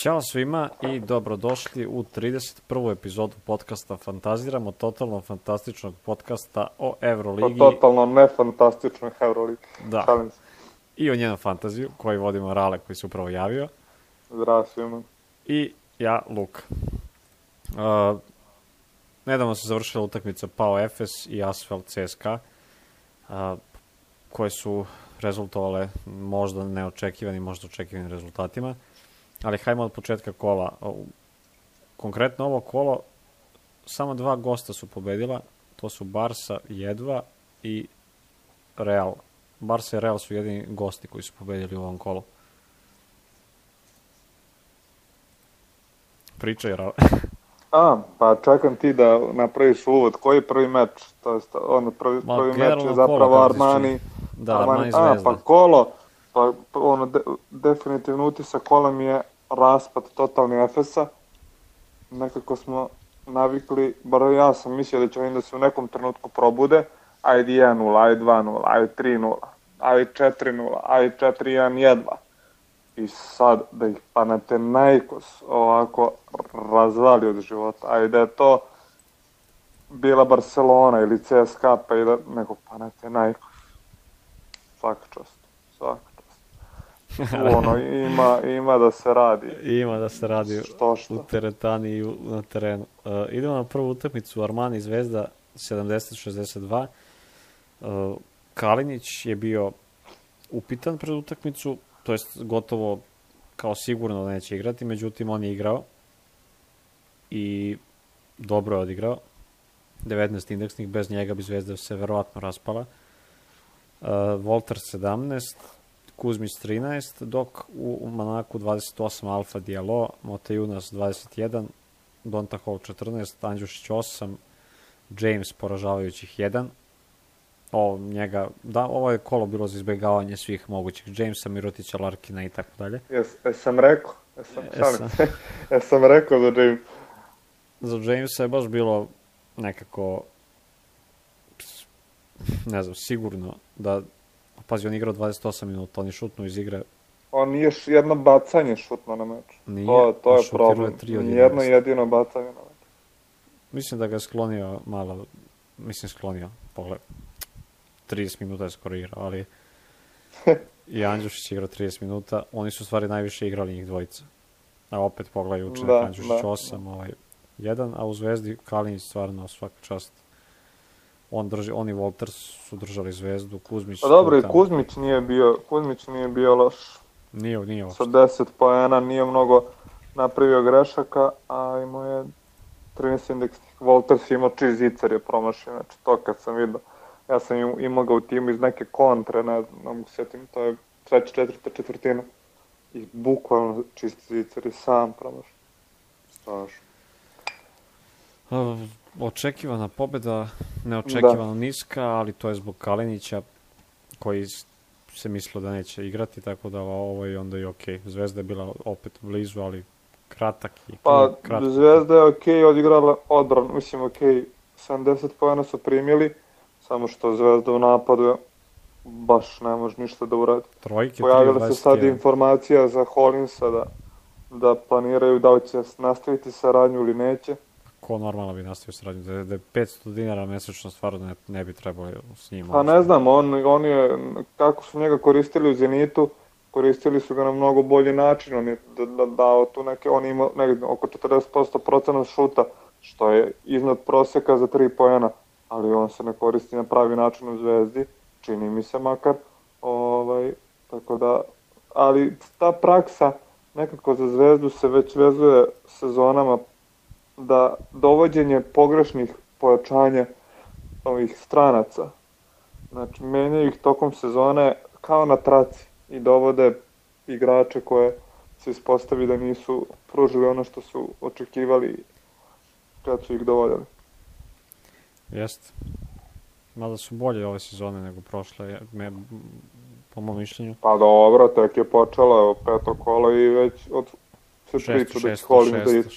Ćao svima i dobrodošli u 31. epizodu podcasta Fantaziramo, totalno fantastičnog podcasta o Euroligi. O totalno nefantastičnoj Euroligi. Da. I o njenom fantaziju koji vodimo Rale koji se upravo javio. Zdravo svima. I ja, Luka. Nedavno se završila utakmica Pao Efes i Asfalt CSKA, koje su rezultovale možda neočekivanim, možda očekivanim rezultatima. Ali hajmo od početka kola. Konkretno ovo kolo, samo dva gosta su pobedila, to su Barsa jedva i Real. Barsa i Real su jedini gosti koji su pobedili u ovom kolu. Pričaj, Real. Pa čekam ti da napraviš uvod. Koji je prvi meč? Prvi meč je zapravo Armani. Da, Armani Zvezda. Pa kolo, definitivno utisak kola mi je raspad totalni Efesa. Nekako smo navikli, bar ja sam mislio da će oni da se u nekom trenutku probude. Ajde 1-0, ajde 2-0, ajde 3-0, ajde 4-0, ajde 4-1 jedva. I sad da ih Panathinaikos ovako razvali od života. Ajde da je to bila Barcelona ili CSKA, pa i da nego Panathinaikos. Svaka čast. Ima da se radi. Ima da se radi u teretani i na terenu. Idemo na prvu utakmicu, Armani Zvezda 70-62. Kalinić je bio upitan pred utakmicu, to jest gotovo kao sigurno da neće igrati, međutim on je igrao i dobro je odigrao. 19 indeksnih, bez njega bi Zvezda se verovatno raspala. Volter 17, Kuzmić 13, dok u Manaku 28 Alfa Diallo, Motejunas 21, Donta Hall 14, Andjušić 8, James poražavajućih 1. Ovo je kolo bilo za izbjegavanje svih mogućih Jamesa, Mirotića, Larkina i tako dalje. Jesam rekao za James. Za Jamesa je baš bilo nekako, ne znam, sigurno da, pazi, on igrao 28 minuta, on je šutnuo iz igre. On nije jedno bacanje šutno na meč. To je problem. Nijedno jedino bacanje na meč. Mislim da ga je sklonio malo, pogled. 30 minuta je skoro igrao, ali i Andjušić igrao 30 minuta. Oni su stvari najviše igrali njih dvojica. A opet pogledaj učenik Andjušić 8, 1, a u Zvezdi Kalinić stvarno svaka čast. On i Volter su držali Zvezdu, Kuzmić... Pa dobro, i Kuzmić nije bio loš. Nije loš. Sa 10 poena nije mnogo napravio grešaka, a imao je 13 indeksnih. Volter si imao čist zicar je promašio, znači to kad sam vidio. Ja sam imao ga u timu iz neke kontre, ne mogu sjetim, to je četvrta četvrtina. I bukvalno čist zicar je sam promašio. Strašno. Očekivana pobjeda, neočekivano niska, ali to je zbog Kalinića koji se mislilo da neće igrati, tako da ovo je onda i okej. Zvezda je bila opet blizu, ali kratak. Zvezda je okej odigrala odbranu, mislim okej, 70 pojena su primili, samo što Zvezda u napadu baš ne može ništa da uradi. Pojavila se sad informacija za Hollinsa da planiraju da li će nastaviti saradnju ili neće. Ko normalno bi nastavio saradnju, da je 500 dinara mesečno stvarno ne bi trebalo s njim. Pa ne znam, on je, kako su njega koristili u Zenitu, koristili su ga na mnogo bolji način, on je dao tu on ima oko 40% šuta, što je iznad prosjeka za 3 poena, ali on se ne koristi na pravi način u Zvezdi, čini mi se makar, tako da, ali ta praksa nekako za Zvezdu se već vezuje sezonama, da dovođenje pogrešnih pojačanja ovih stranaca, znači menjaju ih tokom sezone kao na traci i dovode igrače koje se ispostavi da nisu pružili ono što su očekivali kad su ih dovodili. Jeste. Mada su bolje ove sezone nego prošle, po mom mišljenju. Pa dobro, tek je počelo, peto kolo i već od se priča da će Hollins da ide.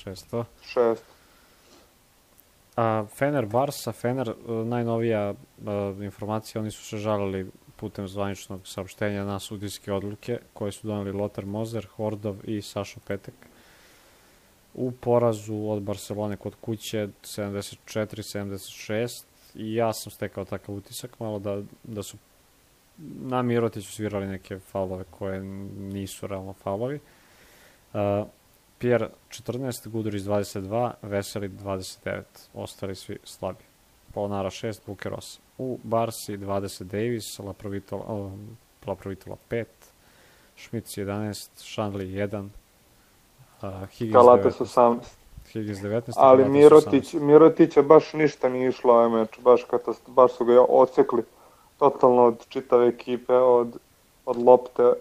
Šest. Fener Barsa, najnovija informacija, oni su se žalili putem zvaničnog saopštenja na sudijske odluke koje su doneli Lothar Moser, Hordov i Sašo Petek. u porazu od Barcelone kod kuće 74-76 i ja sam stekao takav utisak malo da su na Mirotiću svirali neke faulove koje nisu realno faulovi. Pierre 14, Gudurić 22, Veseli 29, ostali svi slabi. Polonara 6, Buker 8. U Barsi 20 Davis, Laprovitola 5, Šmic 11, Šanli 1, Higgins Kalates 19. 18. Higgins 19. Ali Kalates 18. Mirotića baš ništa nije išlo ovaj meč, baš su ga ocekli totalno od čitave ekipe, od lopte,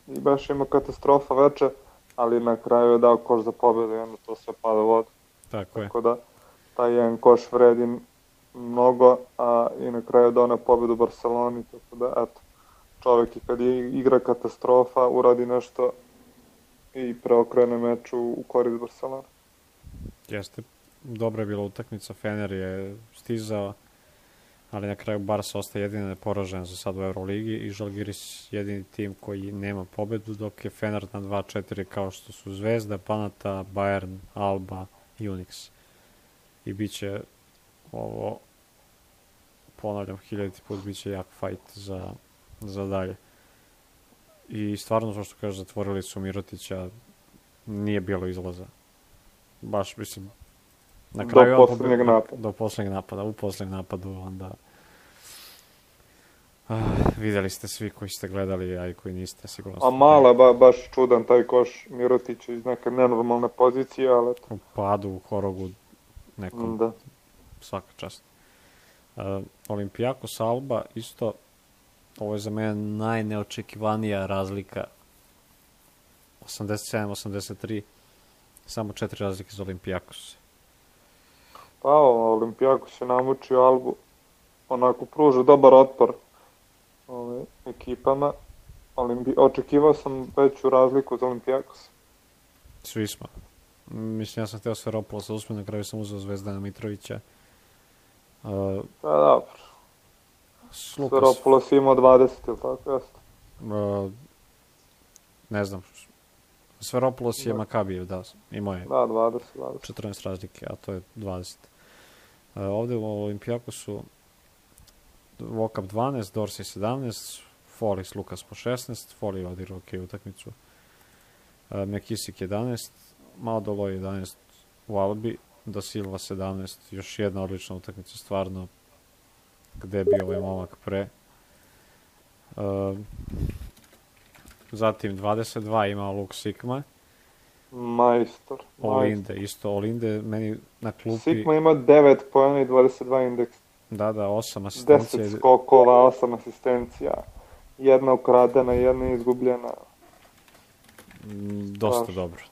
baš ima katastrofa veče, ali na kraju je dao koš za pobedu i onda to sve pada u vodu. Tako da, taj jedan koš vredi mnogo, a i na kraju je dao na pobedu Barceloni, tako da, eto, čovjek i kad je igra katastrofa, uradi nešto i preokrene meč u korist Barcelona. Jeste, dobra je bila utakmica, Fener je stizao, ali na kraju Barca ostaje jedina neporažena za sad u Euroligi i Žalgiris jedini tim koji nema pobedu, dok je Fener na 2-4 kao što su Zvezda, Panata, Bayern, Alba i Unix. I bit će ovo, ponavljam 1000 put, bit će jak fight za dalje. I stvarno, što kaže, zatvorili su Mirotića, nije bilo izlaza. Baš, mislim, na kraju do poslednjeg napada. U poslednjeg napadu onda videli ste svi koji ste gledali, a i koji niste, sigurno. A mala, baš čudan taj koš Mirotića iz neke nenormalne pozicije, ali... U padu, u horogu nekom, da. Svaka čast. Olimpijakos Alba, isto, ovo je za mene najneočekivanija razlika. 87-83, samo 4 razlike za Olimpijakos. Pa, Olimpijakos je namučio Albu, onako pruža dobar otpor ekipama. Očekivao sam veću razliku za Olimpijakos. Svi smo. Mislim, ja sam hteo Sferopolos da usme, na kraju sam uzeo Zvezdana Mitrovića. Pa dobro. Sferopolos je imao 20, ili tako, jeste? Ne znam. Sferopolos je Makabijev, da, imao je 14 razlike, a to je 20. Ovde u Olimpijakosu Vokap 12, Dorsey 17, Folis Lukas po 16, Foli je odigrao utakmicu, Mekisik 11, Maudoloj 11 u Albi, Da Silva 17, još jedna odlična utakmica, stvarno, gde je bio ovaj momak pre. Zatim 22 imao Luke Sikma. Majstor. Olinde, isto Olinde, meni na klupi... Sikma ima 9 pojena i 22 indeks. Da, 8 asistencija. 10 skokova, 8 asistencija. Jedna ukradena, jedna izgubljena.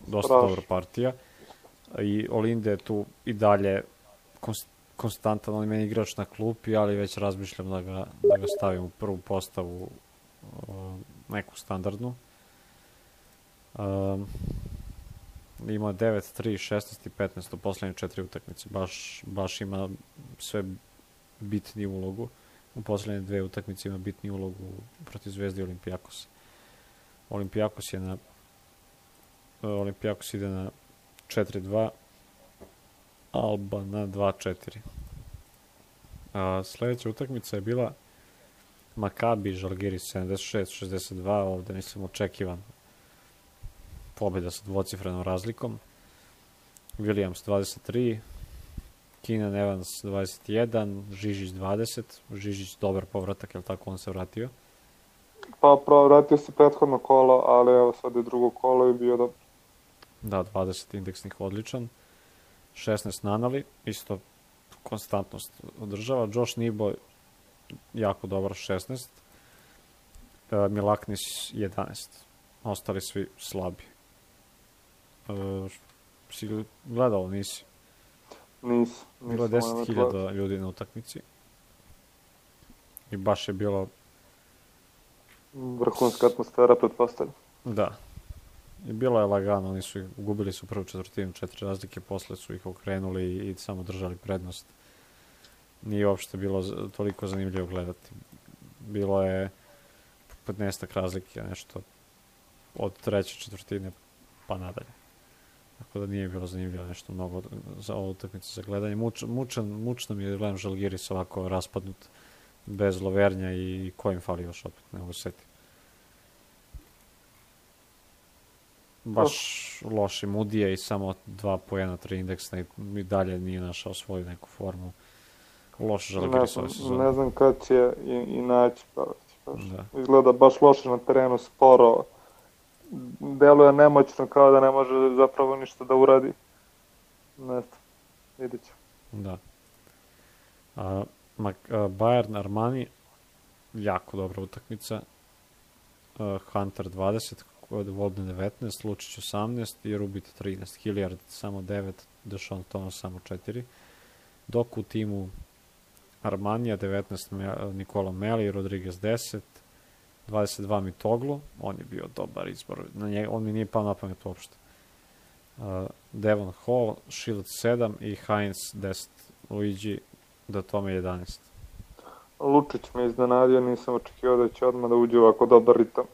Dosta dobra partija. I Olinde je tu i dalje konstantan, on je meni igrač na klupi, ali već razmišljam da ga stavim u prvu postavu, neku standardnu. Ima 9, 3, 16 i 15 u poslednje 4 utakmice. Baš ima sve bitni ulogu. U poslednje 2 utakmice ima bitni ulogu protiv Zvezde i Olimpijakosa. Olimpijakos ide na 4-2, Alba na 2-4. Sledeća utakmica je bila Makabi Žalgiris 76-62, ovde mislim očekivan pobjeda sa dvocifrenom razlikom. Williams 23, Keenan Evans 21, Žižić 20, Žižić dobar povratak, je li tako on se vratio? Pa vratio se prethodno kolo, ali evo sad je drugo kolo i bio dobro. Da, 20 indeksnih odličan. 16 Nanali, isto konstantnost održava. Josh Nibo jako dobar 16. Milaknis 11. Ostali svi slabi. Si gledao, nisi? Nisam. Bilo je 10.000 ljudi na utakmici. I baš je bilo... vrhunska atmosfera, pretpostavljam. Da. I bilo je lagano, gubili su prvu četvrtinu, 4 razlike, posle su ih okrenuli i samo držali prednost. Nije uopšte bilo toliko zanimljivo gledati. Bilo je 15 razlike, nešto od treće četvrtine pa nadalje. Tako da nije bilo zanimljivo nešto mnogo za ovu utakmicu za gledanje. Mučno mi je gledam Žalgiris ovako raspadnut bez Lovernja i ko im fali još opet, ne mogu setiti. Baš loši Mudije i samo 2 poena, 3 indeksna i dalje nije našao svoju neku formu. Loš Žalgiris ove sezone. Ne znam kad će i naći. Da. Izgleda baš loše na terenu, sporo. Deluje nemoćno, kao da ne može zapravo ništa da uradi. Ne znam, vidjet ću. Da. Bayern Armani, jako dobra utakmica. Hunter 20, Volden 19, Lučić 18 i Rubit 13. Hilliard samo 9, Deshaun Thomas samo 4. Dok u timu Armanija 19 Nikola Meli, Rodriguez 10, 22 Mitoglu, on je bio dobar izbor, on mi nije pao na pamet uopšte. Devon Hall, Shield 7 i Heinz 10, Luigi do tome 11. Lučić me iznenadio, nisam očekivao da će odmah da uđe ovako dobar ritam.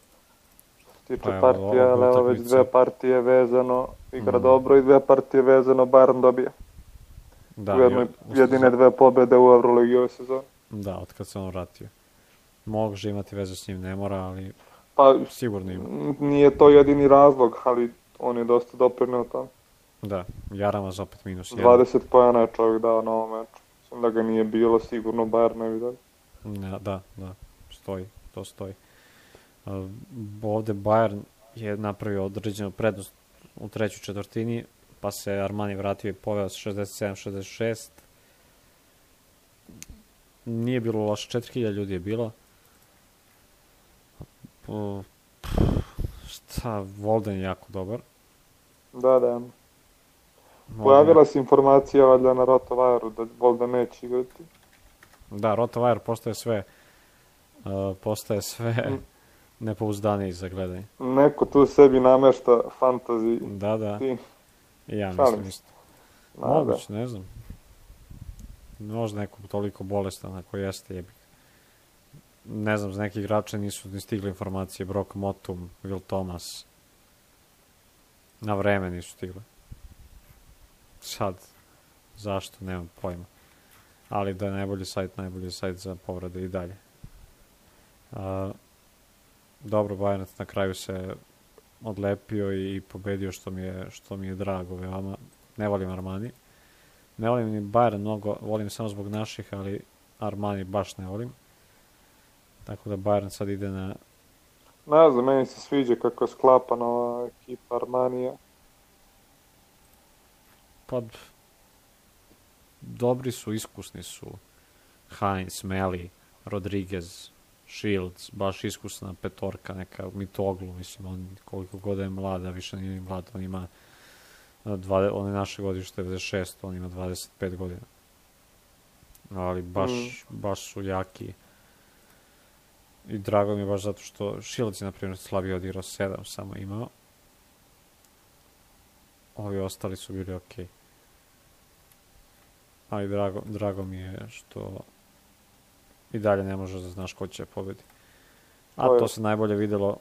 Što se tiče partija, ali evo već 2 partije vezano, igra dobro i 2 partije vezano, Bayern dobija. Da, u jedine 2 pobjede u Euroligi ove sezone. Da, od kad se on vratio. Može imati veze s njim, ne mora, ali sigurno ima. Nije to jedini razlog, ali on je dosta doprineo tamo. Da, Jaramaz opet minus 1. 20 pojena je čovjek dao na ovom meču. Mislim da ga nije bilo, sigurno Bayern ne bi dali. Da, to stoji. Ovde Bayern je napravio određenu prednost u trećoj četvrtini, pa se Armani vratio i poveo s 67-66. Nije bilo loše, 4000 ljudi je bilo. Volden je jako dobar. Da. Pojavila se informacija valjda na RotoWire-u da Volden neće igrati. Da, RotoWire postaje sve nepouzdaniji za gledanje. Neko tu sebi namešta fantasy. Da. I ja mislim isto. Moguće, ne znam. Možda neko toliko bolestan ako jeste jebik. Ne znam, za neki igrače nisu ni stigle informacije. Brock Motum, Will Thomas. Na vreme nisu stigle. Sad, zašto, nemam pojma. Ali da je najbolji sajt za povrede i dalje. Dobro, Bayern na kraju se odlepio i pobedio, što mi je drago veoma. Ne volim Armani. Ne volim ni Bayern mnogo, volim samo zbog naših, ali Armani baš ne volim. Tako da Bayern sad ide na... Ne znam, meni se sviđa kako je sklapana ova ekipa Armanija. Pa, dobri su, iskusni su. Heinz, Meli, Rodriguez, Shields, baš iskusna petorka, neka Mitoglu, mislim, on koliko god je mlad, a više nije mlad, on ima on je naše godište 96, on ima 25 godina. Ali baš su jaki. I drago mi je baš zato što Shields je, na primjer, slabije odigrao 7, samo imao. Ovi ostali su bili okej. Ali drago mi je što i dalje ne može da znaš ko će pobedi. A to se najbolje videlo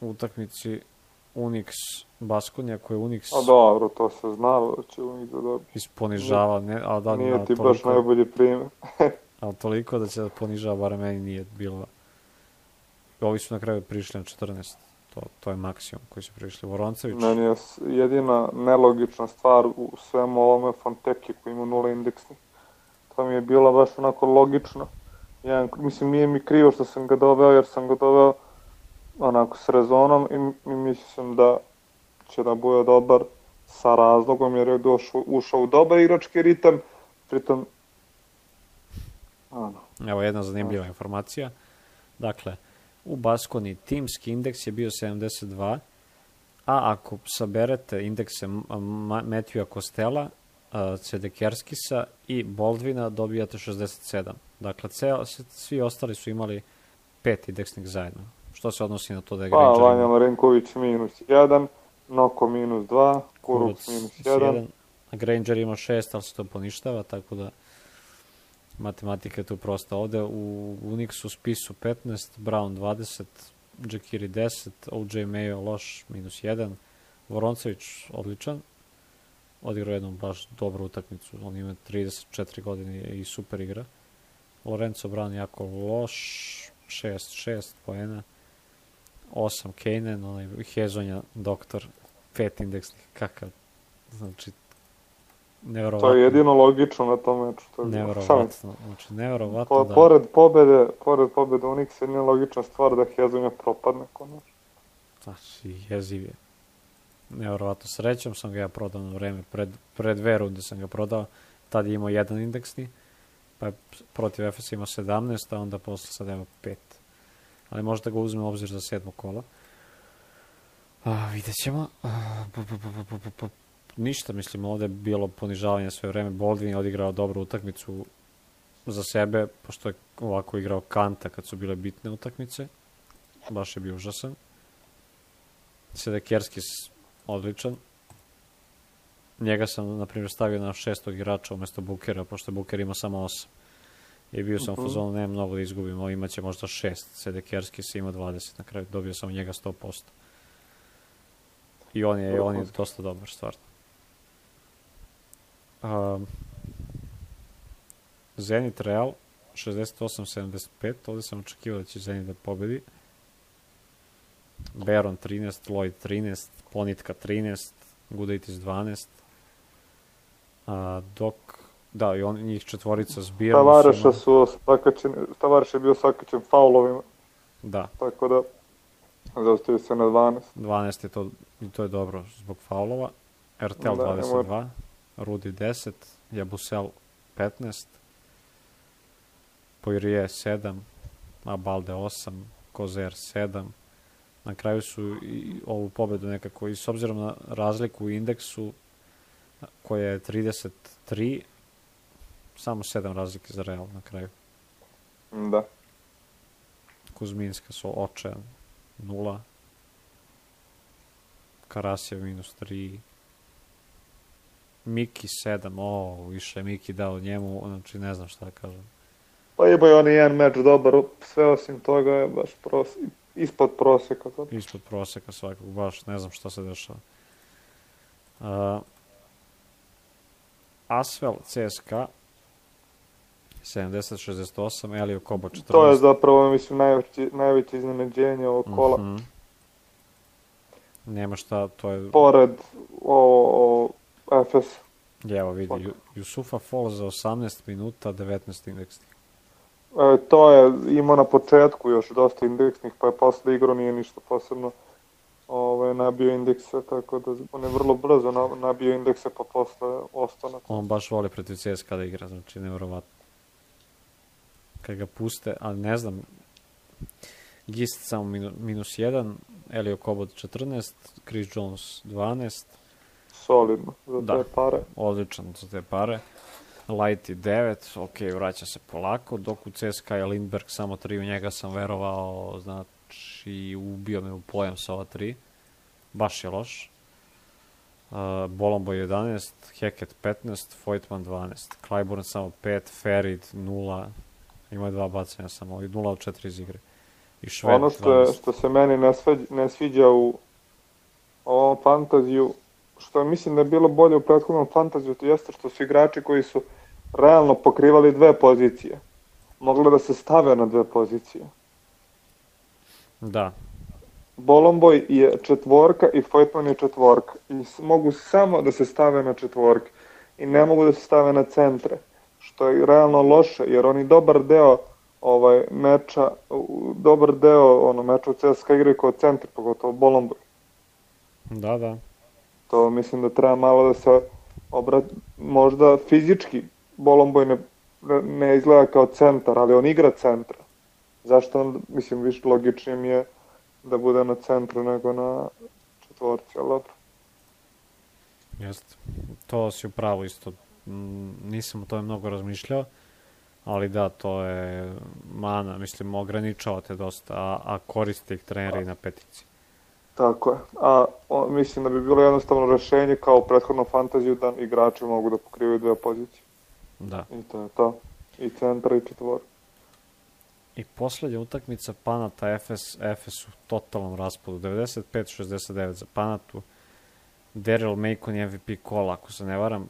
u utakmici Unix Baskonija, koji je Unix... A dobro, to se znalo da će Unix da dobiti. Isponižava, nije ti baš najbolji primjer. Ali toliko da će da ponižava, bar meni nije bilo. Ovi su na kraju prišli na 14. To je maksimum koji su prišli. Voroncević... Meni je jedina nelogična stvar u svemu ovome Fonteki koji ima 0 indeksni. To mi je bilo baš onako logično. Mislim, nije mi krivo što sam ga doveo, jer sam ga doveo onako s rezonom i mislim da će da bude dobar sa razlogom, jer je ušao u dobar igrački ritam, pritom... Evo jedna zanimljiva informacija. Dakle, u Baskoni timski indeks je bio 72, a ako saberete indekse Matthewa Kostela, Cedekerskisa i Boldvina, dobijate 67. Dakle, svi ostali su imali 5 indeksnih zajedno. Što se odnosi na to da je Granger... Pa, Vanja Marinković minus 1, Noko minus 2, Kuruc minus 1. A Granger ima 6, ali se to poništava, tako da matematika je tu prosta. Ovde u Unixu spisu 15, Brown 20, Džekiri 10, OJ Mayo loš, minus 1, Voroncević odličan, odigrao jednu baš dobru utakmicu. On ima 34 godine i super igra. Lorenzo Brown jako loš, 6 poena, 8 Kanen, onaj Hezonja doktor, 5 indeksnih, kakav, znači, neverovatno. To je jedino logično na tom meču. Neverovatno, znači, neverovatno da... Pored pobede Unixa, jedina logična stvar da Hezonja propadne konačno. Znači, jeziv je. Neverovatno, srećom sam ga ja prodao na vreme, pred 2 runde sam ga prodao, tad je imao 1 indeksni, pa je protiv FS imao 17, a onda posle sad ima 5. Ali možda ga uzme u obzir za 7. kola. Vidjet ćemo. Ništa, mislim, ovde je bilo ponižavanje sve vreme. Baldwin je odigrao dobru utakmicu za sebe, pošto je ovako igrao Kanta kad su bile bitne utakmice. Baš je bio užasan. Sedekerskis odličan. Njega sam, na primjer, stavio na 6. igrača umesto Bookera, pošto Booker ima samo 8. I bio sam u fazonu, nema mnogo da izgubim, ovo imaće možda 6. Sedekerskis ima 20, na kraju dobio sam njega 100%. I on je dosta dobar, stvarno. Zenit Real, 68-75, ovdje sam očekivao da će Zenit da pobedi. Baron 13, Lloyd 13, Ponitka 13, Gudaitis 12. Dok, da, i njih četvorica zbirno. Tavares je bio sakaćen faulovima. Da. Tako da, zaostaje se na 12. 12 je to, i to je dobro zbog faulova. RTL 22, Rudi 10, Jabusel 15, Poirier 7, Abalde 8, Kozer 7. Na kraju su i ovu pobedu nekako, i s obzirom na razliku u indeksu, koja je 33, samo 7 razlike za Real na kraju. Da. Kuzminska su očajan 0, Karasjev -3, Miki 7, više je Miki dao njemu, znači ne znam šta da kažem. Pa imaju oni jedan meč dobar, sve osim toga je baš ispod proseka. Ispod proseka svakog, baš ne znam šta se dešava. Asvel CSKA 70-68, Elio Kobo 14. To je zapravo, mislim, najveće iznenađenje ovog kola. Nema šta, to je... Pored FS. Evo vidi, Jusufa Fall za 18 minuta, 19 indeksnih. To je imao na početku još dosta indeksnih, pa je posle igrao, nije ništa posebno nabio indekse, tako da on je vrlo brzo nabio indekse, pa posle ostane. On baš voli protiv CSKA da igra, znači nevjerovatno. Kad ga puste, ali ne znam, Gist samo -1, Elio Kobot 14, Chris Jones 12. Solidno, za te pare. Odličan za te pare. Lighty 9, ok, vraća se polako, dok u CSKA je Lindberg samo 3, u njega sam verovao, znači ubio me u pojam sa ova 3. Baš je loš. Bolombo 11, Hackett 15, Voigtman 12, Clyburn samo 5, Ferid 0, ima 2 bacanja samo, i 0 od 4 iz igre. I Šved ono što se meni ne sviđa u ovom fantaziju, što mislim da je bilo bolje u prethodnom fantaziju, to jeste što su igrači koji su realno pokrivali 2 pozicije. Mogli da se stave na 2 pozicije. Da. Bolomboj je 4 i Voigtman je 4. I mogu samo da se stave na 4. I ne mogu da se stave na centre. Što je realno loše, jer oni dobar deo meča u CSKA igraju kao centar, pogotovo Bolomboj. Da. To mislim da treba malo da se možda fizički Bolomboj ne izgleda kao centar, ali on igra centra. Zašto on, mislim, više logičnije mi je da bude na centru nego na 4, ali dobro. Jeste, to si upravo isto, nisam o tome mnogo razmišljao, ali da, to je mana, mislim, ograničava te dosta, a koriste ih treneri na petici. Tako je, mislim da bi bilo jednostavno rešenje kao u prethodnom fantaziju da igrači mogu da pokrivaju 2 pozicije. Da. I to je to, i centra i 4. I poslednja utakmica Panata Efes u totalnom raspadu, 95-69 za Panatu. Daryl Macon je MVP kola, ako se ne varam,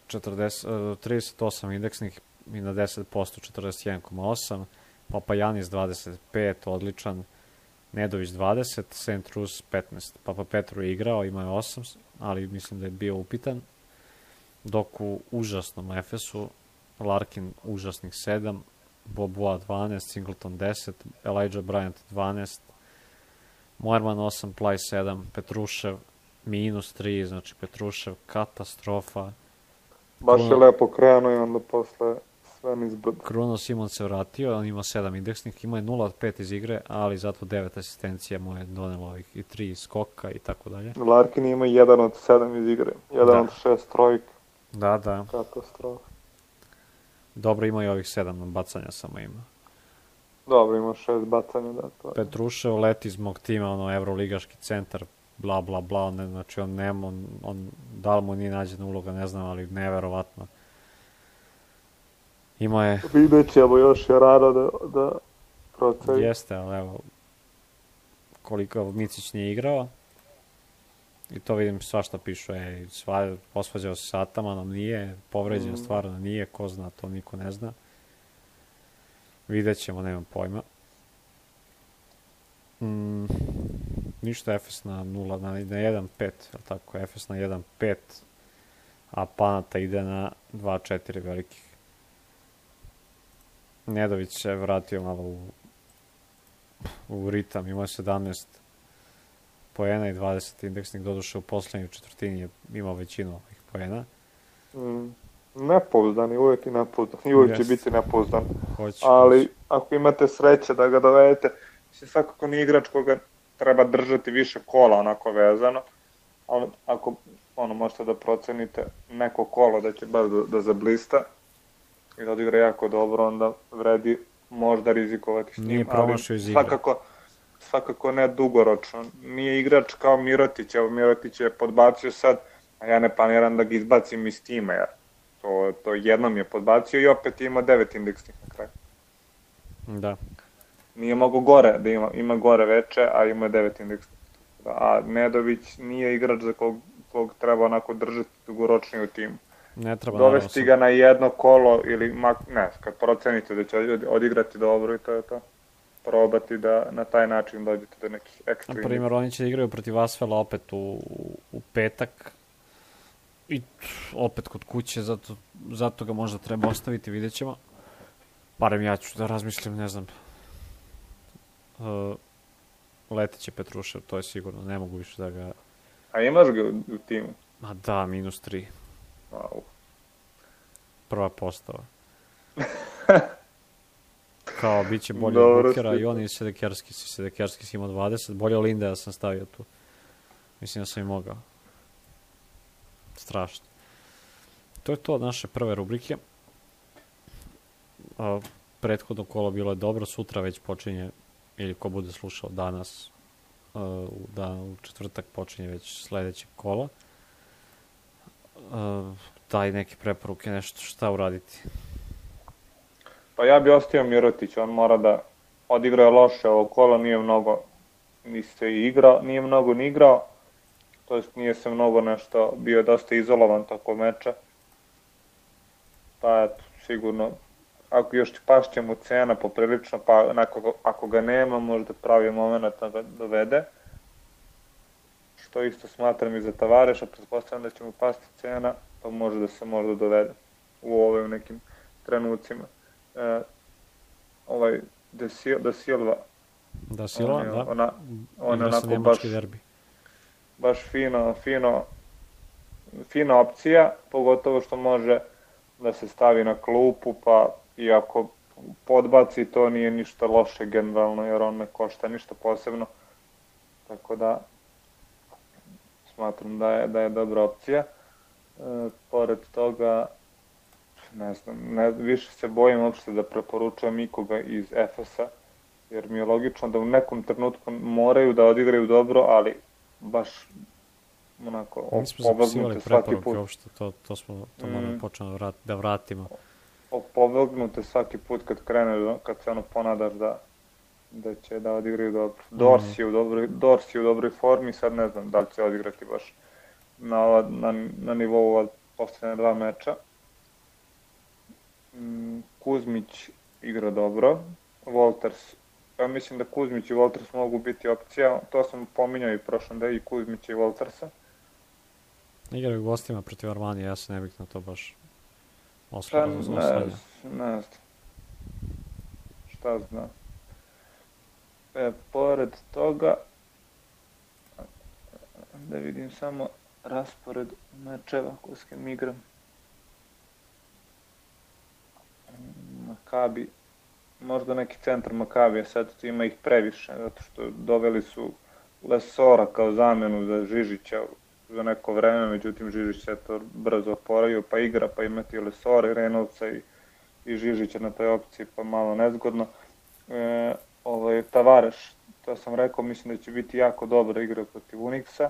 38 indeksnih i na 10%, 41,8, Papajanis 25, odličan, Nedović 20, St. Rus 15, Papa Petru je igrao, imao je 8, ali mislim da je bio upitan, dok u užasnom Efesu Larkin užasnih 7, Boboa 12, Singleton 10, Elijah Bryant 12, Moerman 8, Plaj 7, Petrušev minus 3, znači Petrušev katastrofa. Baš je lepo krenuo i onda posle sve nizbrdo. Kruno Simon se vratio, on ima 7 indeksnih, ima je 0 od 5 iz igre, ali zato 9 asistencija mu je donelo ovih i 3 skoka i tako dalje. Larkin ima 1 od 7 iz igre, 1 od 6 trojka. Da. Katastrofa. Dobro, ima i ovih 7 bacanja samo ima. Dobro, ima 6 bacanja, da. To je. Petrušev leti iz mog tima, evroligaški centar, bla, bla, bla, znači on nema, da li mu nije nađena uloga, ne znam, ali neverovatno. Ima je... Vidjet ćemo, još je rano da proceni. Jeste, ali evo, koliko Micić nije igrao, i to vidim svašta pišu, posvađao se sa Atamanom, nije, povređen stvarno nije, ko zna, to niko ne zna. Vidjet ćemo, nemam pojma. Ništa, Efes na 0, na 1-5, je tako, Efes na 1-5, a Panata ide na 2-4 velikih. Nedović se vratio malo u ritam, imao 17 poena i 20 indeksnih, doduše u poslednjoj četvrtini je imao većinu ovih poena. Nepouzdan je, uvijek i nepouzdan, i uvijek će biti nepouzdan. Ali ako imate sreće da ga dovedete, svakako nije igrač koga treba držati više kola onako vezano, ali ako možete da procenite neko kolo da će baš da zablista i da odigra jako dobro, onda vredi možda rizikovati s njim. Nije promašio iz igre. Svakako ne dugoročno. Nije igrač kao Mirotić, evo Mirotić je podbacio sad, a ja ne planiram da ga izbacim iz tima, jer to jednom je podbacio i opet ima 9 indeksnih na kraju. Da. Nije mogo gore, da ima gore veče, a ima 9 indeksnih. A Nedović nije igrač za kog treba onako držati dugoročnije u timu. Ne treba dovesti ga na jedno kolo ili, kad procenite da će odigrati dobro i to je to. Probati da na taj način dođete do nekih ekstra. Na primjer, oni će igraju protiv Asvela opet u petak i opet kod kuće, zato ga možda treba ostaviti, vidjet ćemo. Barem ja ću da razmislim, ne znam. Leteće Petrušev, to je sigurno, ne mogu više da ga... A imaš ga u timu? Ma da, minus 3. Wow. Prva postava. Kao, bit će bolje od Bukera i on i Sedekerskis. Sedekerskis ima 20, bolje od Lindeja sam stavio tu. Mislim da sam i mogao. Strašno. To je to od naše prve rubrike. Prethodno kolo bilo je dobro, sutra već počinje, ili ko bude slušao danas, u četvrtak počinje već sledeće kolo. Daj neke preporuke, nešto šta uraditi. Pa ja bi ostavio Mirotić, on mora da odigra loše ovo kolo, nije mnogo ni igrao, to jest nije se mnogo nešto, bio dosta izolovan tako meča. Pa eto, sigurno, ako još pašće mu cena poprilično, pa ako ga nema, možda pravi moment da ga dovede. Što isto smatram i za Tavareša, pretpostavljam da će mu pasti cena, pa može da se možda dovede u ovim nekim trenucima. Da Silva. Da Silva, da. On je onako baš fina opcija, pogotovo što može da se stavi na klupu, pa i ako podbaci, to nije ništa loše generalno, jer on ne košta ništa posebno. Tako da smatram da je dobra opcija. Pored toga, ne znam, više se bojim uopšte da preporučujem ikoga iz Efesa, jer mi je logično da u nekom trenutku moraju da odigraju dobro, ali baš onako opovrgnute svaki put. Uopšte, to moramo početi da vratimo. Opovrgnute svaki put kad se ponadaš da će da odigraju dobro. Dors je u dobroj formi, sad ne znam da li će odigrati baš na nivou od poslednje 2 meča. Kuzmić igra dobro, Wolters, ja mislim da Kuzmić i Wolters mogu biti opcija, to sam pominjao i prošlom da i Kuzmića i Woltersa. Igraju gostima protiv Armanije, ja se ne bih na to baš osvrao. Ne znam. Šta znam. Pored toga, da vidim samo raspored mečeva koje s kim igram. Makabi, možda neki centar Makabija, sad ima ih previše, zato što doveli su Lesora kao zamenu za Žižića za neko vreme, međutim Žižić se to brzo oporavio, pa igra, pa imati Lesora i Reynoldsa i Žižića na toj opciji, pa malo nezgodno. Tavareš, to sam rekao, mislim da će biti jako dobra igra protiv Unixa.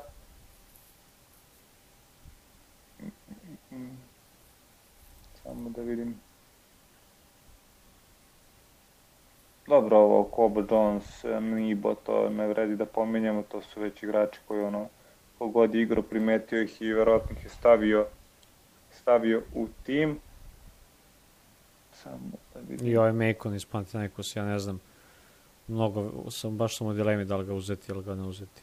Samo da vidim. Dobro, ovo Kobo Jones, Nibo, to ne vredi da pominjamo, to su već igrači koji kogod je igro primetio ih i verovatno ih je stavio u tim. Samo da vidim. I ovaj Mekon iz Panathinaikos, ja ne znam, baš sam u dilemi da li ga uzeti ili ga ne uzeti.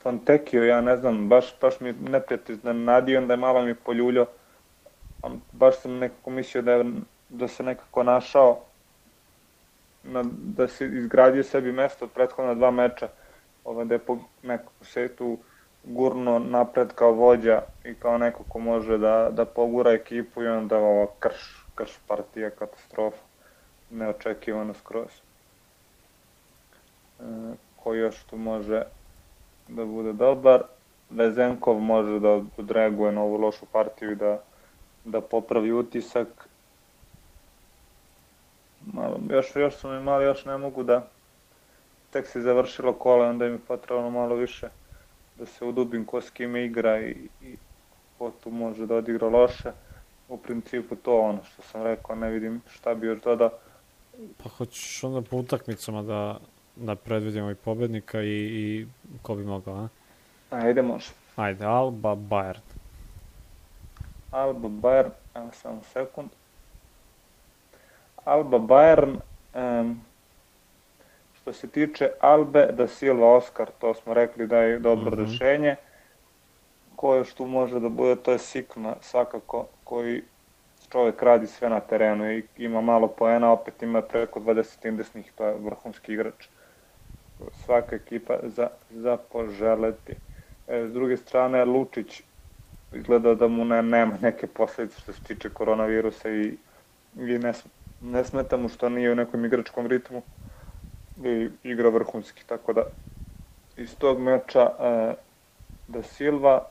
Fontekio, ja ne znam, baš mi neprijatelj iznenadio, onda je malo mi poljuljao. Baš sam nekako mislio da se nekako našao, da se izgradio sebi mesto od prethodna 2 meča, da je nekako se tu gurno napred kao vođa i kao neko ko može da pogura ekipu i onda ova krš partija, katastrofa, neočekivano skroz. Ko još tu može da bude dobar? Vezenkov može da odreaguje na ovu lošu partiju i da popravi utisak. Još su mi mali, još ne mogu da... Tek se završilo kola, onda im je potrebno malo više da se udubim ko s kime igra i ko tu može da odigra loše. U principu to ono što sam rekao, ne vidim šta bi još dodao. Pa hoćeš onda po utakmicama da predvidimo i pobednika i ko bi mogao, a? Ajde, može. Ajde, Alba Bayern. Alba Bayern, evo samo sekund. Alba Bayern, što se tiče Albe, da Silva Oskar, to smo rekli da je dobro rešenje. Ko još tu može da bude, to je Sikma, svakako, koji čovjek radi sve na terenu i ima malo poena, opet ima preko 20 indesnih, to je vrhunski igrač. Svaka ekipa za poželeti. S druge strane, Lučić izgleda da mu nema neke posledice što se tiče koronavirusa i ne smeta mu što nije u nekom igračkom ritmu i igra vrhunski, tako da iz tog meča da Silva,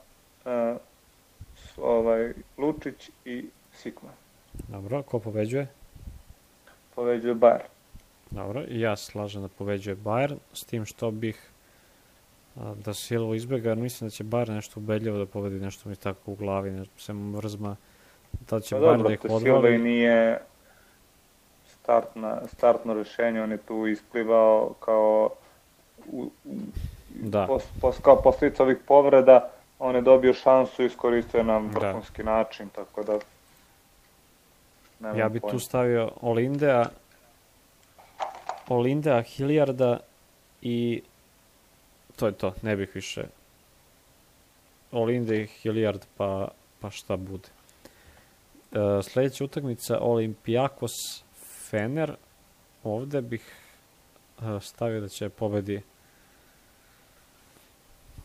Lučić i Sikma. Dobro, ko pobeđuje? Pobeđuje Bayern. Dobro, i ja se slažem da pobeđuje Bayern, s tim što bih da Silva izbjega, jer mislim da će Bayern nešto ubedljivo da pobedi, nešto mi tako u glavi, nešto se mrzma, da će Bayern da ih odvali. Silva i nije startno rešenje, on je tu isplivao kao kao posljedica ovih povreda, on je dobio šansu i iskoristio na vrhunski način, tako da ja bi tu stavio Olindea, Hilliarda i to je to, ne bih više. Olinde i Hilliard, pa šta bude. Sljedeća utakmica, Olympiakos Fener. Ovde bih stavio da će pobedi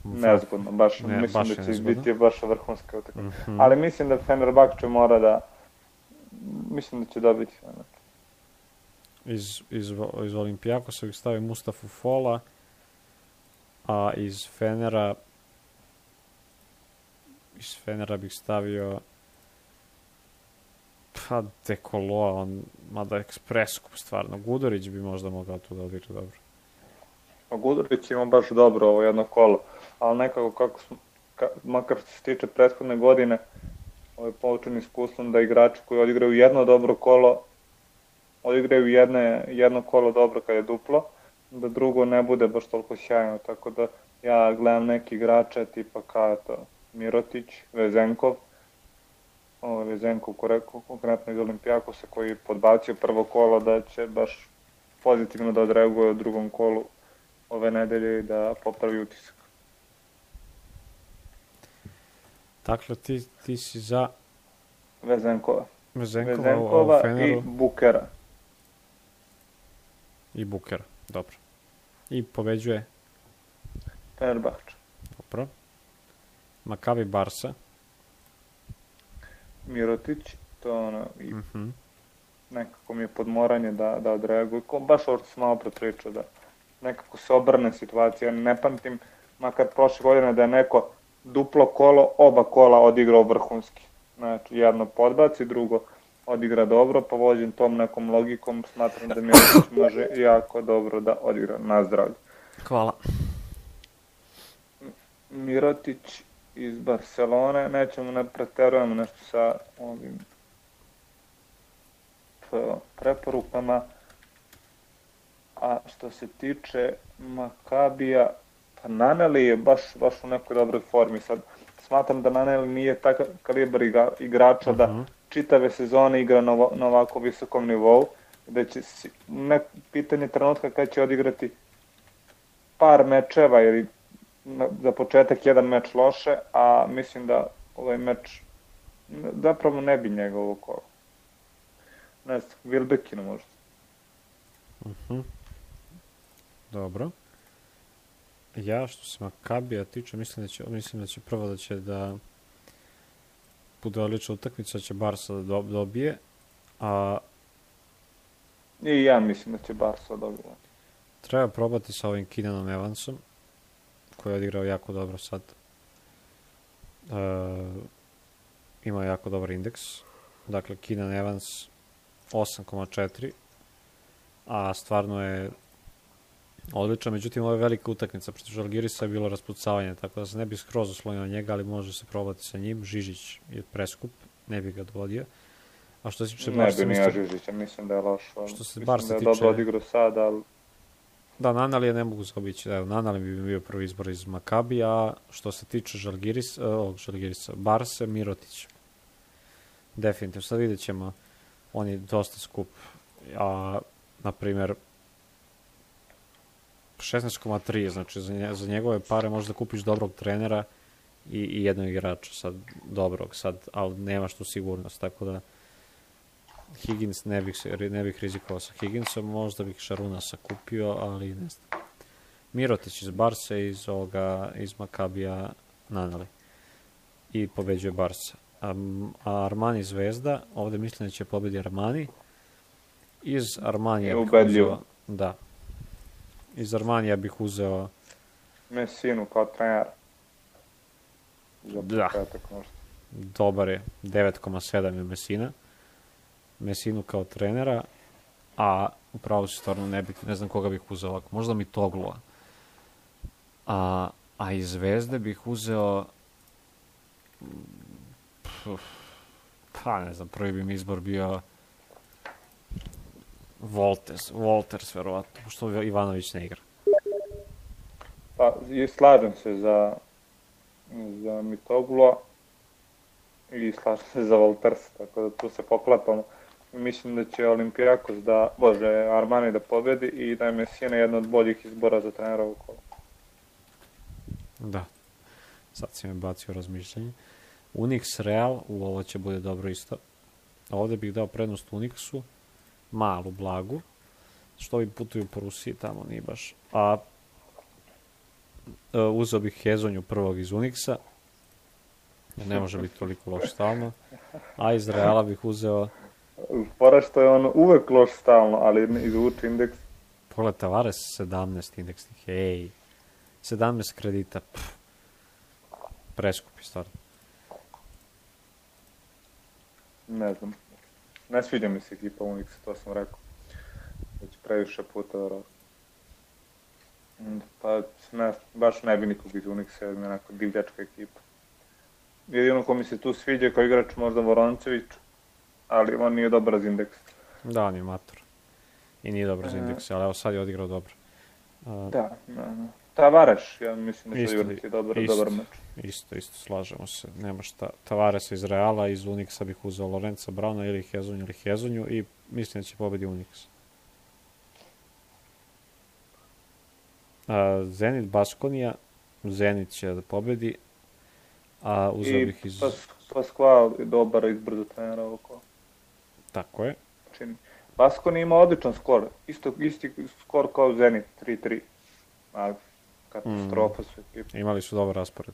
nezgodno, mislim da će biti baš vrhunska utakmica. Ali mislim da Fenerbahče mora da mislim da će dobiti Fener. Iz Olympiakosa bih stavio Mustafu Fola, a iz Fenera bih stavio Dekoloa, mada ekspreskup stvarno. Gudurić bi možda mogao tu da odigra dobro. Gudurić ima baš dobro ovo jedno kolo, ali nekako makar što se tiče prethodne godine, ovo je poučen iskustvom da igrači koji odigraju jedno dobro kolo, odigraju jedno kolo dobro kad je duplo, da drugo ne bude baš toliko sjajno, tako da Ja gledam neki igrače tipa kao to Mirotić, Vezenkov, Vezenkov konkretno iz Olimpijakosa koji je podbacio prvo kolo da će baš pozitivno da odreaguje u drugom kolu ove nedelje i da popravi utisak. Dakle, ti si za Vezenkova Vezenkova i Bukera. I Bukera, dobro. I pobeđuje Fenerbahče. Dobro. Makabi Barsa. Mirotić, to ono, i nekako mi je podmoranje da odreaguje. Baš ovo što sam malo prepričao, da nekako se obrne situacija. Ne pamtim, makar prošle godine da je neko duplo kolo, oba kola odigrao vrhunski. Znači, jedno podbaci, drugo odigra dobro, pa vođen tom nekom logikom, smatram da Mirotić može jako dobro da odigra na zdravlje. Hvala. Mirotić iz Barcelone, nećemo ne preterujemo nešto sa ovim preporukama, a što se tiče Makabija, pa Naneli je baš u nekoj dobroj formi. Sad smatram da Naneli nije takav kalibar igrača da čitave sezone igra na ovako visokom nivou, da će pitanje trenutka kada će odigrati par mečeva, jer za početak jedan meč loše, a mislim da ovaj meč zapravo ne bi njegovo kolo. Ne znam, Wilbekinu možda. Dobro. Ja, što se Makabija tiče, mislim da će prvo da bude odlična utakmica, da će Barsa da dobije, a i ja mislim da će Barsa dobije. Treba probati sa ovim Keenanom Evansom, koji je odigrao jako dobro sad. Ima jako dobar indeks. Dakle, Keenan Evans 8,4, a stvarno je odličan. Međutim, ovo je velika utakmica, protiv Žalgirisa je bilo raspucavanje, tako da se ne bi skroz oslonio na njega, ali može se probati sa njim. Žižić je preskup, ne bi ga dovodio. A što se tiče Barsa... Ne bi nija Žižića, mislim da je lošo. Mislim da je dobro odigrao sad, ali... Da, Nanali ne mogu zaobići. Nanali bi bio prvi izbor iz Makabija, što se tiče Žalgirisa, Barse, Mirotić. Definitivno. Sad vidjet ćemo, on je dosta skup. A, na primjer, 16,3, znači za njegove pare možeš da kupiš dobrog trenera i jednog igrača, sad dobrog, ali nemaš tu sigurnost, tako da Higgins ne bih rizikovao sa Higginsom, možda bih Šarunasa kupio, ali ne znam. Mirotić iz Barse, iz Makabija Nanali. I pobeđuje Barsa. A Armani Zvezda, ovde mislim da će pobedi Armani. Iz Armanija bih uzeo... Da. Iz Armanija bih uzeo... Messinu kao trener. Da. Dobar je. 9,7 je Messina. Messinu kao trenera, a upravo si stvarno ne znam koga bih uzeo ovako. Možda mi Toglua. A iz Zvezde bih uzeo... Pa ne znam, prvi bi mi izbor bio... Wolters, verovatno, što Ivanović ne igra. Pa, i slažem se za Mitoglua i slažem se za Wolters, tako da tu se poklapamo. Mislim da će Olimpijakos Armani da pobedi i da je Messina jedna od boljih izbora za trenera u kolu. Da, sad si me bacio razmišljanje. Unix Real, ovo će bude dobro isto. Ovde bih dao prednost Unixu, malu, blagu, što ovi putuju po Rusiji, tamo nije baš. A uzeo bih Hezonju prvog iz Unixa, ne može biti toliko loš stalno, a iz Reala bih uzeo... Fora što je on uvek loš stalno, ali izvuči indeks. Pogled, Tavares 17 indeksnih, 17 kredita, preskupi stvarno. Ne znam. Ne sviđa mi se ekipa Unix, to sam rekao. Već previše puta verovatno. Pa baš ne bi nikog iz Unixa, jer mi je onako divljačka ekipa. Jedino ko mi se tu sviđa kao igrač možda Voroncević, ali on nije dobar za indeks. Da, on je mator. I nije dobar za indeks, ali evo sad je odigrao dobro. Da. Tavares, ja mislim da će Isto, odigrati dobar meč. Isto, slažemo se. Nema šta. Tavaresa iz Reala, iz Unixa bih uzeo Lorenza Brauna ili Hezonju i mislim da će pobedi Unix. Zenit Baskonija, Zenit će da pobedi, a uzeo bih iz... Pasqual je dobar izbor za trenera oko. Tako je. Čini. Baskoni ima odličan skor, isti skor kao Zenit, 3-3. Ali katastrofa su ekipa. Imali su dobar raspored.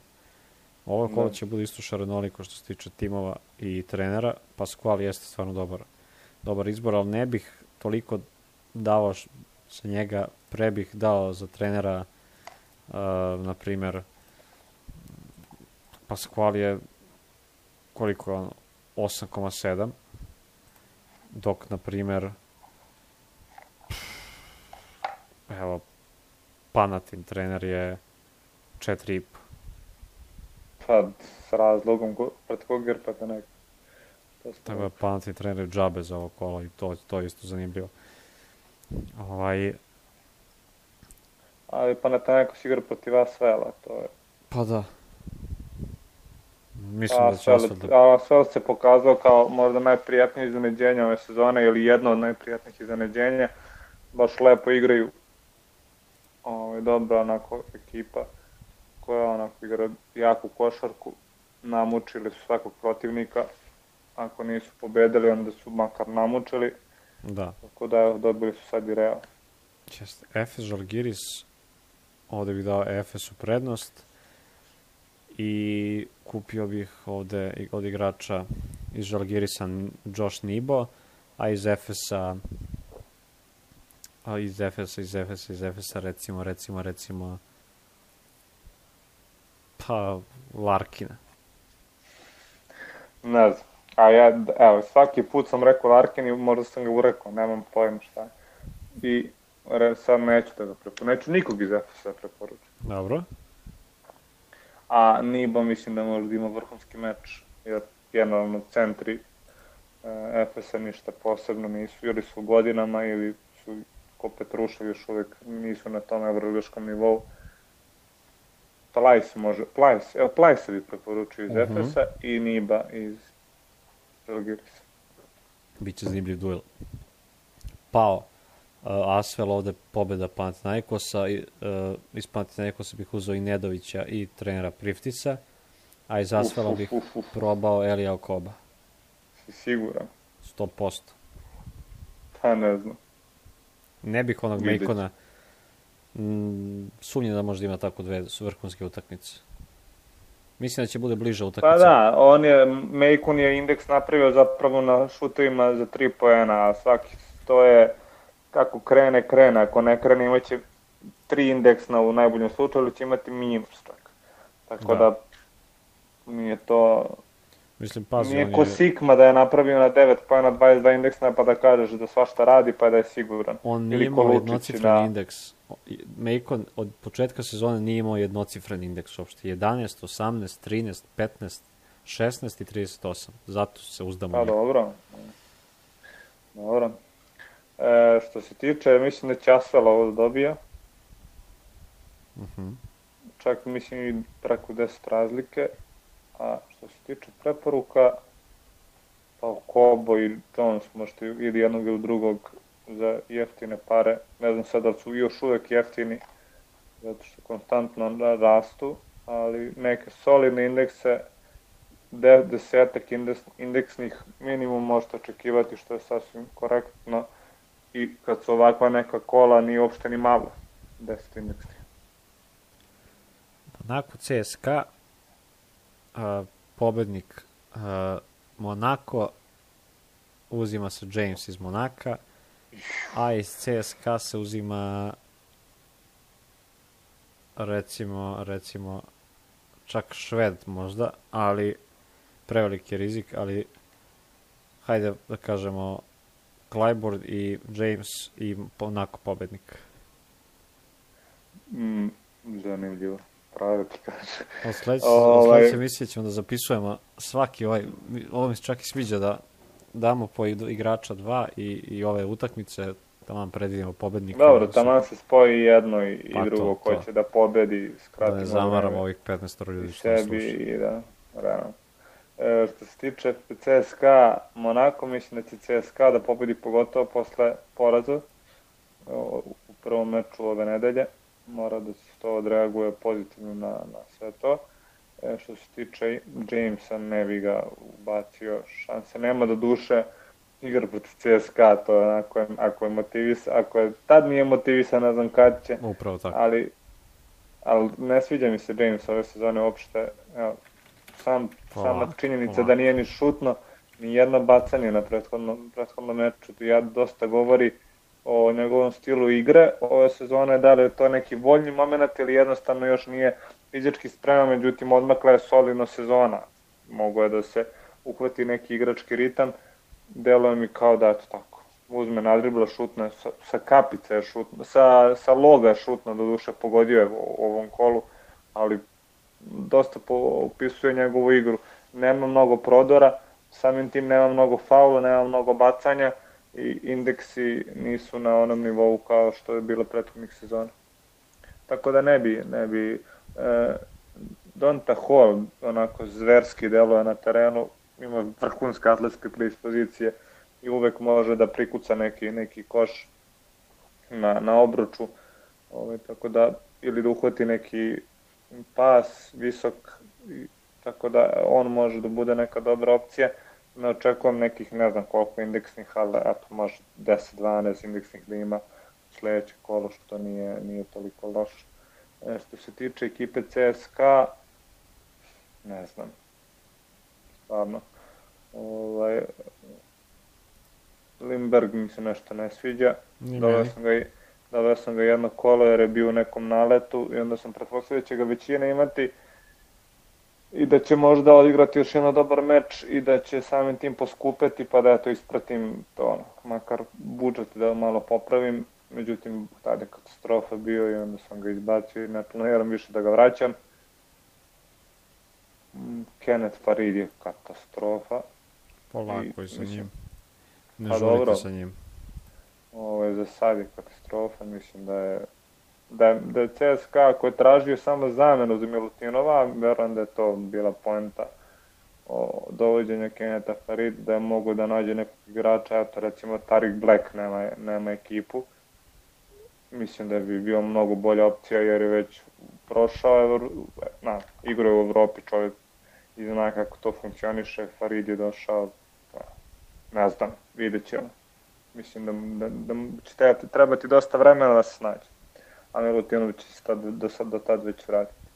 Ovo kolo će bude isto šarenoliko što se tiče timova i trenera. Pasqual jeste stvarno dobar izbor, ali ne bih toliko dao sa njega, pre bih dao za trenera, na primer, Pasqual je koliko je ono, 8,7, dok, na primer, evo, Panatin trener je 4,5. Pa, s razlogom, pred kog grpate neko. Tako je Panatin trener džabe za ovo kolo i to je isto zanimljivo. Ali Panathinaikos igra protiv Asvela, to je... Pa da. Mislim da će Asvel se pokazao kao možda najprijatnije iznenađenje ove sezone ili jedno od najprijatnijih iznenađenja. Baš lepo igraju. Dobra onako ekipa koja onako igra jaku košarku. Namučili su svakog protivnika. Ako nisu pobedili, onda su makar namučili. Da. Tako da dobili su sad i Real. Jeste. Efes Žalgiris, ovde bih dao Efesu prednost i kupio bih ovde od igrača iz Žalgirisa Josh Nibo, a iz Efesa recimo pa Larkina. Ne znam. A ja, evo, svaki put sam rekao Larkin i možda sam ga urekao, nemam pojma šta je. I sad neću da ga preporučim. Neću nikog iz Efesa preporučiti. Dobro. A Nibo mislim da možda ima vrhunski meč, jer generalno centri Efesa ništa posebno nisu, ili su godinama, ili su ko Petrušev još uvijek nisu na tom evroligaškom nivou. Plajse bi preporučio iz Efesa i Niba iz Žalgirisa. Biće zanimljiv duel. Pao Asvel, ovde pobeda Panathinaikosa, iz Panathinaikosa bih uzeo i Nedovića i trenera Priftisa, a iz Asvela bih probao Elija Okoba. Si siguran? 100%. Pa ne znam. Ne bih onog Mejkona, sumnjam da možda ima tako dve vrhunske utakmice. Mislim da će bude bliža utakmica. Pa da, Mejkon je indeks napravio zapravo na šutovima za 3 poena, a svaki to je kako krene, ako ne krene imaće 3 indeksna u najboljem slučaju, ali će imati minus čak. Tako da nije to... Mislim, pazi, nije ko Sigma da je napravio na 9 poena 22 indeksna pa da kažeš da svašta radi pa da je siguran. On nije imao jednocifren indeks. Mejkon od početka sezone nije imao jednocifren indeks uopšte. 11, 18, 13, 15, 16 i 38. Zato se uzdamo. Pa dobro. Što se tiče, mislim da će Asvel ovo dobija. Čak mislim i preko 10 razlike. A što se tiče preporuka, pa Kobo i Jones možete ili jednog ili drugog za jeftine pare. Ne znam sad da su još uvek jeftini, zato što konstantno rastu, ali neke solidne indekse, 10 indeksnih minimum možete očekivati, što je sasvim korektno. I kad su ovakva neka kola, nije uopšte ni malo 10 indeksnih. Monaco CSKA, pobednik Monaco, uzima se James iz Monaka, a iz CSKA se uzima recimo čak Šved možda, ali preveliki rizik, ali hajde da kažemo Clyburn i James i Monaco pobednik. Zanimljivo. Pravo ti kaže. Od sledeće emisije ćemo da zapisujemo svaki ovo mi se čak i sviđa da damo po igrača 2 i ove utakmice, Tamo predvidimo pobednika. Dobro, tamo se spoji jedno i pa drugo to. ko će da pobedi, skratimo da ne zamaramo ovih 15 ljudi što nas sluša. I da, realno. Što se tiče CSKA Monako, mislim da će CSKA da pobedi pogotovo posle poraza u prvom meču ove nedelje. Mora da se to odreaguje pozitivno na sve to. Što se tiče Jamesa, ne bi ga ubacio, šanse nema, do duše igra protiv CSKA, to je ako je motivisan, ako je tad nije motivisan, ne znam kad će. Upravo tako. Ali ne sviđa mi se James ove sezone uopšte. Evo, sama činjenica da nije ni šutno, ni jedno bacanje na prethodnom meču, ja dosta govori o njegovom stilu igre ove sezone, da li je to neki voljni moment ili jednostavno još nije fizički spreman, međutim odmakla je solidno sezona. Mogu je da se uhvati neki igrački ritam, deluje mi kao da eto tako. Uzme nadribla, šutne, sa kapice je šutno, sa loga je šutno, do duše pogodio je u ovom kolu, ali dosta opisuje njegovu igru. Nema mnogo prodora, samim tim nema mnogo faula, nema mnogo bacanja i indeksi nisu na onom nivou kao što je bilo prethodnih sezona. Tako da ne bi Donta Hall onako zverski deluje na terenu, ima vrhunske atletske predispozicije i uvek može da prikuca neki koš na obruču, tako da, ili da uhvati neki pas visok, tako da on može da bude neka dobra opcija. Ne očekujem nekih, ne znam koliko indeksnih, ali eto, može 10-12 indeksnih da ima sledeće kolo, što nije toliko loše. Što se tiče ekipe CSKA, ne znam, stvarno. Limberg mi se nešto ne sviđa. Doveo sam ga jedno kolo jer je bio u nekom naletu i onda sam pretpostavio da će ga većina imati i da će možda odigrati još jedan dobar meč i da će samim tim poskupeti, pa da ja to ispratim, to makar budžet da malo popravim. Međutim, tada je katastrofa bio i onda sam ga izbacio i ne planiram više da ga vraćam. Kenneth Farid je katastrofa. Polako i sa njim. Ne želite sa njim. Ovo je za sad je katastrofa, mislim da je CSKA koji je tražio samo zamenu za Milutinova, verujem da je to bila poenta o dovođenju Kennetha Farid, da je mogu da nađe nekog igrača, eto recimo Tarik Black nema ekipu. Mislim da bi bio mnogo bolja opcija jer je već prošao, igrao u Evropi čovjek i zna kako to funkcioniše, Farid je došao, ne znam, vidjet ćemo. Mislim da će trebati dosta vremena da se snađe. A Milutinović će se do tad već vratiti.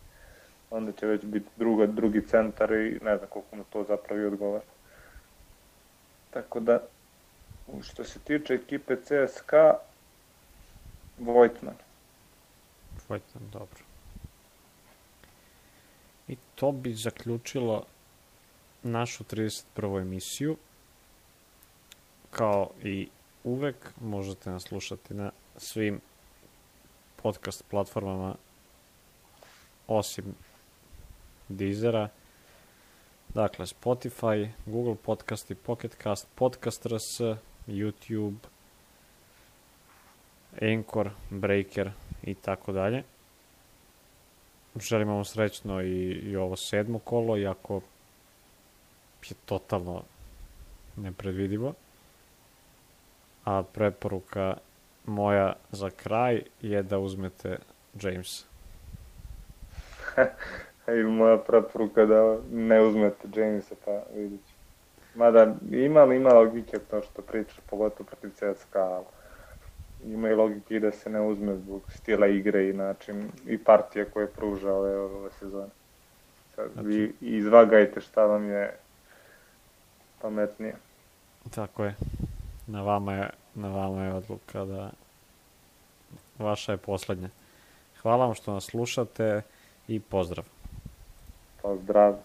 Onda će već biti drugi centar i ne znam koliko mu to zapravo i odgovara. Tako da, što se tiče ekipe CSKA, Vojtman, dobro. I to bi zaključilo našu 31. emisiju. Kao i uvek, možete nas slušati na svim podcast platformama osim Deezera. Dakle, Spotify, Google Podcasti, Pocket Cast, Podcast RS, YouTube, Anchor, Breaker i tako dalje. Želimo vam srećno i ovo 7. kolo, iako je totalno nepredvidivo. A preporuka moja za kraj je da uzmete Jamesa. I moja preporuka da ne uzmete Jamesa, pa vidjet ću. Mada ima logike to što pričaš, pogotovo protiv CSKA. Ima i logike i da se ne uzme zbog stila igre i način i partije koje pruža ove sezone. Sad vi izvagajte šta vam je pametnije. Tako je. Na vama je odluka da vaša je poslednja. Hvala vam što nas slušate i pozdrav. Pozdrav.